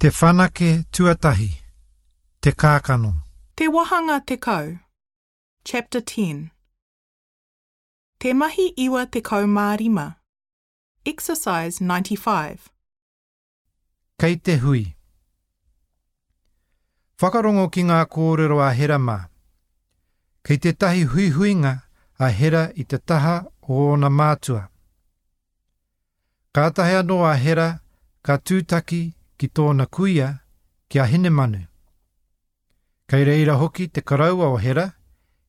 Te whanake tuatahi, Te kākano. Te Wahanga 10, Chapter 10. Te Mahi 95, Exercise 95. Kei te hui. Whakarongo ki ngā kōrero a Hera mā. Kei tētahi huihuinga a Hera i te taha o ōna mātua. Kātahi anō a Hera ka tūtaki ki tōna kuia, ki a Hinemanu. Kei reira hoki te koroua o Hera,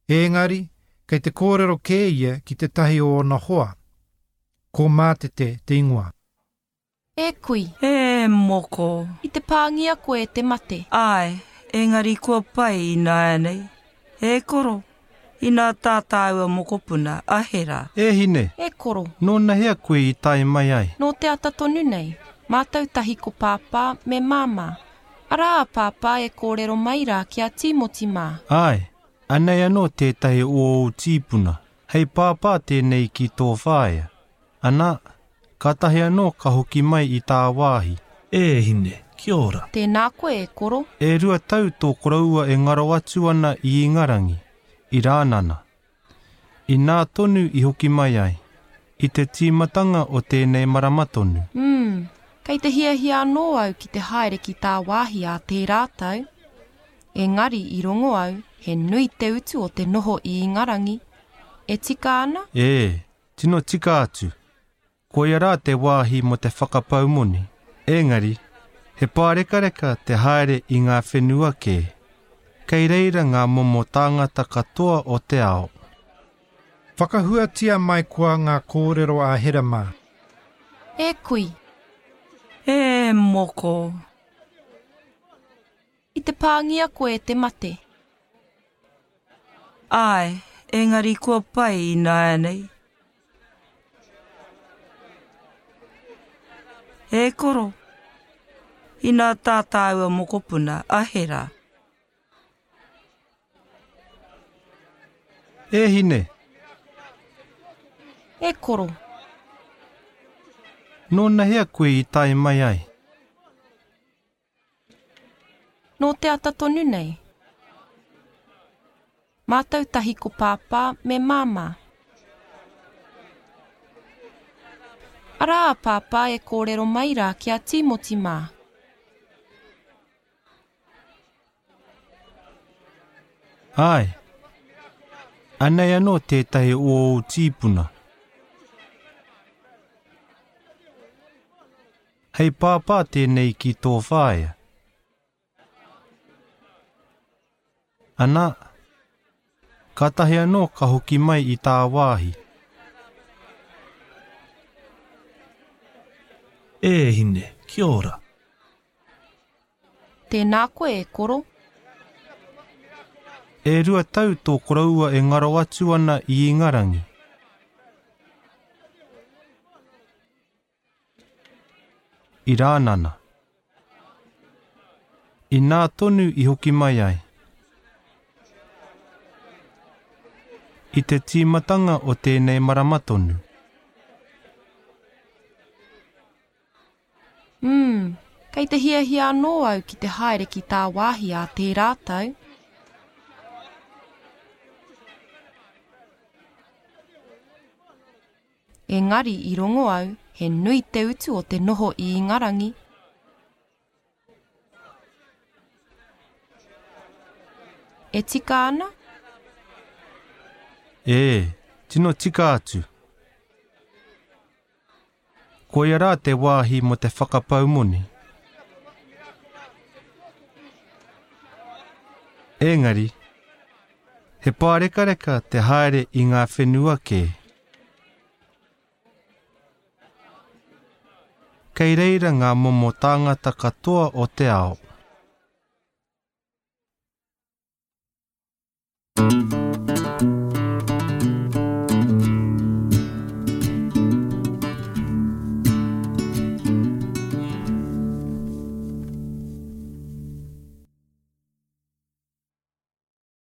ēngari kei te kōrero kē ia ki tētahi o ōna hoa. Ko Mātete te ingoa. E kui. E moko. I te pāngia koe e te mate. Āe, engari kua pai ināianei. E koro, inā tā tāua mokopuna a Hera. E hine! E koro. Nōnahea koe i tae mai ai? Nō te ata tonu nei. Mātou tahi ko Pāpā me Māmā. Arā a Pāpā e kōrero mai rā ki a Tīmoti mā. Āe, anei anō tētahi o ōu tīpuna. Hei pāpā tēnei ki tō whaea. Ana, kātahi anō ka hoki mai i tāwāhi. E hine, kia ora. Tēnā koe e koro. E rua tau tō koroua e ngaro atu ana i Ingarangi, i Rānana. Inā tonu i hoki mai ai, i te tīmatanga o tēnei marama tonu. Umm, kei te hiahia anō au ki te haere ki tāwāhi ā tērā tau. Engari i rongo au he nui te utu o te noho i Ingarangi. E tika ana? Ē, tino tika atu. Koia rā te wāhi mō te whakapau moni. Engari, he pārekareka te haere i ngā whenua kē. Kei reira ngā momo tāngata katoa o te ao. Whakahuatia mai koa ngā kōrero a Hera mā. E kui. E moko. I te pāngia koe e te mate. Āe, engari kua pai ināianei. E koro, inā tā tāua mokopuna a Hera. E hine! E koro. Nōnahea koe i tae mai ai? Nō te ata tonu nei. Mātou tahi ko Pāpā me Māmā. Arā a Pāpā e kōrero mai rā ki a Tīmoti mā. Āe. Anei anō tētahi o ōu tīpuna. Hei pāpā tēnei ki tō whaea. Ana, kātahi anō ka hoki mai i tāwāhi. E hine, kia ora. Tēnā koe e koro. E rua tau tō koroua e ngaro atu ana i Ingarangi. I Rānana. Inā tonu i hoki mai ai. I te tīmatanga o tēnei marama tonu. Umm, kei te hiahia anō au ki te haere ki tāwāhi ā tērā tau. Engari i rongo au he nui te utu o te noho i Ingarangi. E tika ana? Ē, tino tika atu. Koia rā te wāhi mō te whakapau moni. Engari, he pārekareka te haere i ngā whenua kē. Kei reira ngā momo tāngata katoa o te ao.